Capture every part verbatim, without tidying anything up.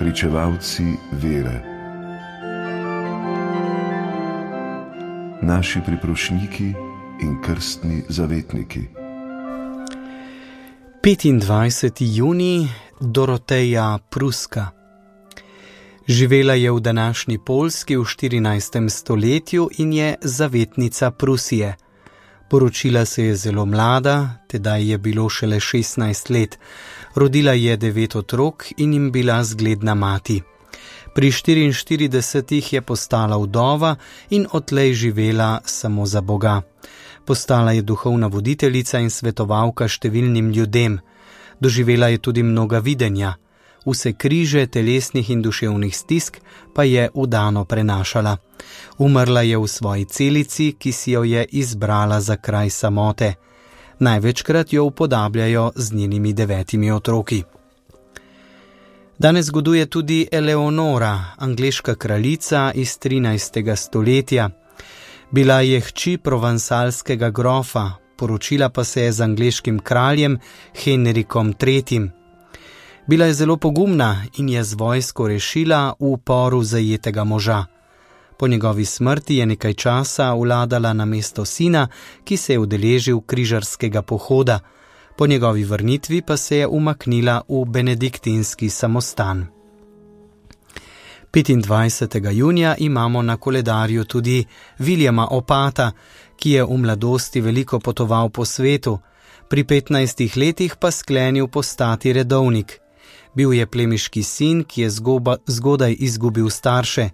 pričevalci vere. Naši priprošniki in krstni zavetniki. petindvajseti junij, Doroteja Pruska. Živela je v današnji Poljski v štirinajstem stoletju in je zavetnica Prusije. Poročila se je zelo mlada, tedaj je bilo šele šestnajst let. Rodila je devet otrok in jim bila zgledna mati. Pri štiriinštiridesetih je postala vdova in odtlej živela samo za Boga. Postala je duhovna voditeljica in svetovalka številnim ljudem. Doživela je tudi mnoga videnja. Vse križe telesnih in duševnih stisk pa je vdano prenašala. Umrla je v svoji celici, ki si jo je izbrala za kraj samote. Največkrat jo upodabljajo z njenimi devetimi otroki. Danes zgoduje tudi Eleonora, angleška kraljica iz trinajstega stoletja. Bila je hči provansalskega grofa, poročila pa se je z angleškim kraljem Henrikom tretjim. Bila je zelo pogumna in je z vojsko rešila v uporu zajetega moža. Po njegovi smrti je nekaj časa vladala na mesto sina, ki se je udeležil križarskega pohoda. Po njegovi vrnitvi pa se je umaknila v benediktinski samostan. petindvajsetega junija imamo na koledarju tudi Viljama Opata, ki je v mladosti veliko potoval po svetu, pri petnajstih letih pa sklenil postati redovnik. Bil je plemiški sin, ki je zgoba, zgodaj izgubil starše,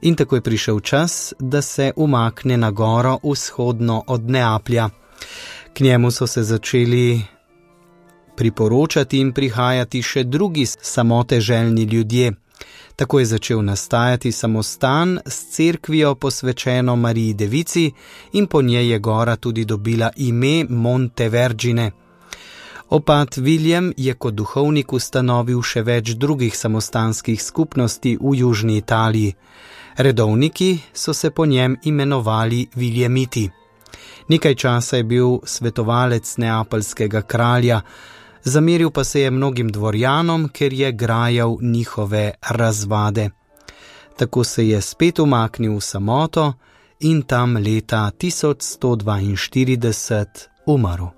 in tako je prišel čas, da se umakne na goro vzhodno od Neaplja. K njemu so se začeli priporočati in prihajati še drugi samoteželjni ljudje. Tako je začel nastajati samostan s cerkvijo posvečeno Mariji Devici in po njej je gora tudi dobila ime Monte Vergine. Opat William je kot duhovnik ustanovil še več drugih samostanskih skupnosti v južni Italiji. Redovniki so se po njem imenovali Viljamiti. Nekaj časa je bil svetovalec neapeljskega kralja, zameril pa se je mnogim dvorjanom, ker je grajal njihove razvade. Tako se je spet umaknil v samoto in tam leta tisoč sto dvainštirideset umrl.